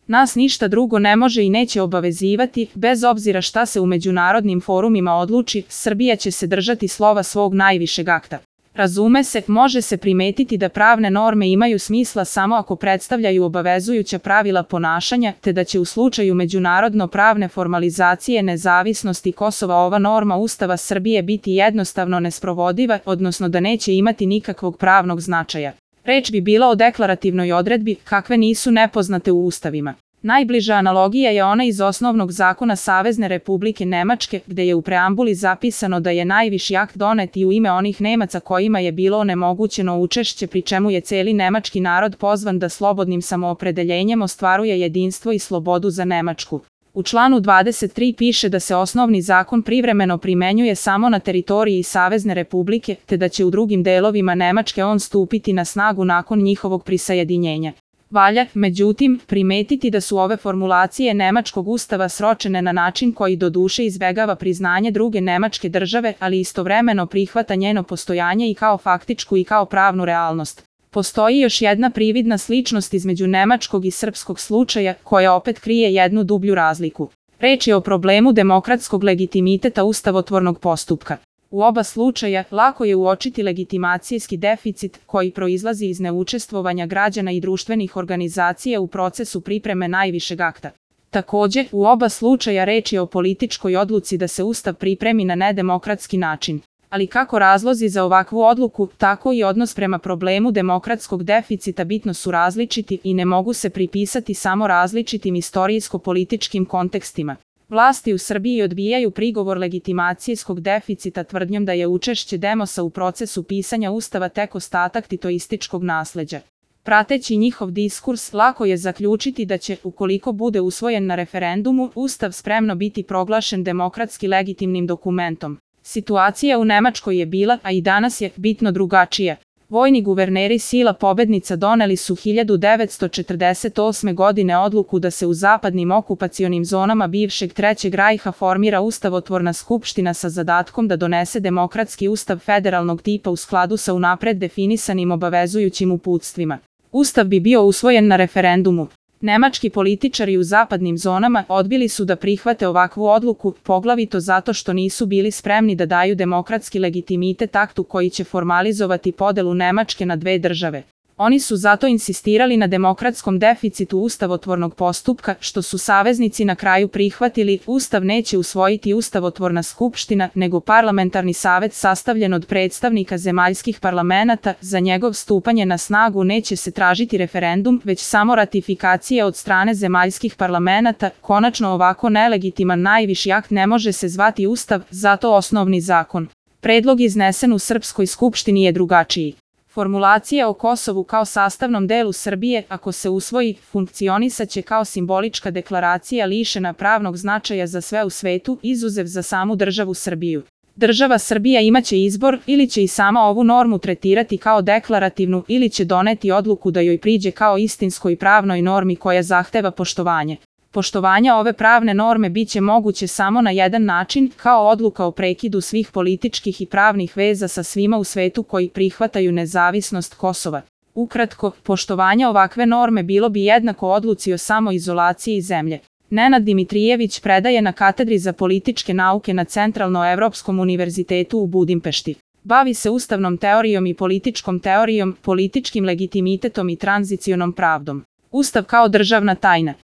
Nas ništa drugo ne može i neće obavezivati, bez obzira šta se u međunarodnim forumima odluči, Srbija će se držati slova svog najvišeg akta. Razume se, može se primetiti da pravne norme imaju smisla samo ako predstavljaju obavezujuća pravila ponašanja, te da će u slučaju međunarodno pravne formalizacije nezavisnosti Kosova ova norma Ustava Srbije biti jednostavno nesprovodiva, odnosno da neće imati nikakvog pravnog značaja. Reč bi bila o deklarativnoj odredbi, kakve nisu nepoznate u ustavima. Najbliža analogija je ona iz osnovnog zakona Savezne Republike Nemačke, gde je u preambuli zapisano da je najviši akt donet i u ime onih Nemaca kojima je bilo onemogućeno učešće, pri čemu je celi nemački narod pozvan da slobodnim samoopredeljenjem ostvaruje jedinstvo i slobodu za Nemačku. U članu 23 piše da se osnovni zakon privremeno primenjuje samo na teritoriji Savezne Republike, te da će u drugim delovima Nemačke on stupiti na snagu nakon njihovog prisajedinjenja. Valja, međutim, primetiti da su ove formulacije nemačkog ustava sročene na način koji doduše izbegava priznanje druge nemačke države, ali istovremeno prihvata njeno postojanje i kao faktičku i kao pravnu realnost. Postoji još jedna prividna sličnost između nemačkog i srpskog slučaja, koja opet krije jednu dublju razliku. Reč je o problemu demokratskog legitimiteta ustavotvornog postupka. U oba slučaja lako je uočiti legitimacijski deficit koji proizlazi iz neučestvovanja građana i društvenih organizacija u procesu pripreme najvišeg akta. Takođe, u oba slučaja reč je o političkoj odluci da se Ustav pripremi na nedemokratski način. Ali kako razlozi za ovakvu odluku, tako i odnos prema problemu demokratskog deficita bitno su različiti i ne mogu se pripisati samo različitim istorijsko-političkim kontekstima. Vlasti u Srbiji odbijaju prigovor legitimacijskog deficita tvrdnjom da je učešće Demosa u procesu pisanja Ustava tek ostatak titoističkog nasleđa. Prateći njihov diskurs, lako je zaključiti da će, ukoliko bude usvojen na referendumu, Ustav spremno biti proglašen demokratski legitimnim dokumentom. Situacija u Nemačkoj je bila, a i danas je, bitno drugačija. Vojni guverneri sila pobednica doneli su 1948. godine odluku da se u zapadnim okupacionim zonama bivšeg Trećeg rajha formira ustavotvorna skupština sa zadatkom da donese demokratski ustav federalnog tipa u skladu sa unapred definisanim obavezujućim uputstvima. Ustav bi bio usvojen na referendumu. Nemački političari u zapadnim zonama odbili su da prihvate ovakvu odluku, poglavito zato što nisu bili spremni da daju demokratski legitimitet aktu koji će formalizovati podelu Nemačke na dve države. Oni su zato insistirali na demokratskom deficitu ustavotvornog postupka, što su saveznici na kraju prihvatili. Ustav neće usvojiti ustavotvorna skupština, nego parlamentarni savet sastavljen od predstavnika zemaljskih parlamenata. Za njegov stupanje na snagu neće se tražiti referendum, već samo ratifikacija od strane zemaljskih parlamenata. Konačno, ovako nelegitiman najviši akt ne može se zvati Ustav, zato osnovni zakon. Predlog iznesen u Srpskoj skupštini je drugačiji. Formulacija o Kosovu kao sastavnom delu Srbije, ako se usvoji, funkcionisaće kao simbolička deklaracija lišena pravnog značaja za sve u svetu, izuzev za samu državu Srbiju. Država Srbija imaće izbor, ili će i sama ovu normu tretirati kao deklarativnu, ili će doneti odluku da joj priđe kao istinskoj pravnoj normi koja zahteva poštovanje. Poštovanje ove pravne norme biće moguće samo na jedan način, kao odluka o prekidu svih političkih i pravnih veza sa svima u svetu koji prihvataju nezavisnost Kosova. Ukratko, poštovanje ovakve norme bilo bi jednako odluci o samoizolaciji zemlje. Nenad Dimitrijević predaje na katedri za političke nauke na Centralnoevropskom univerzitetu u Budimpešti. Bavi se ustavnom teorijom i političkom teorijom, političkim legitimitetom i tranzicionom pravdom. Ustav kao državna tajna.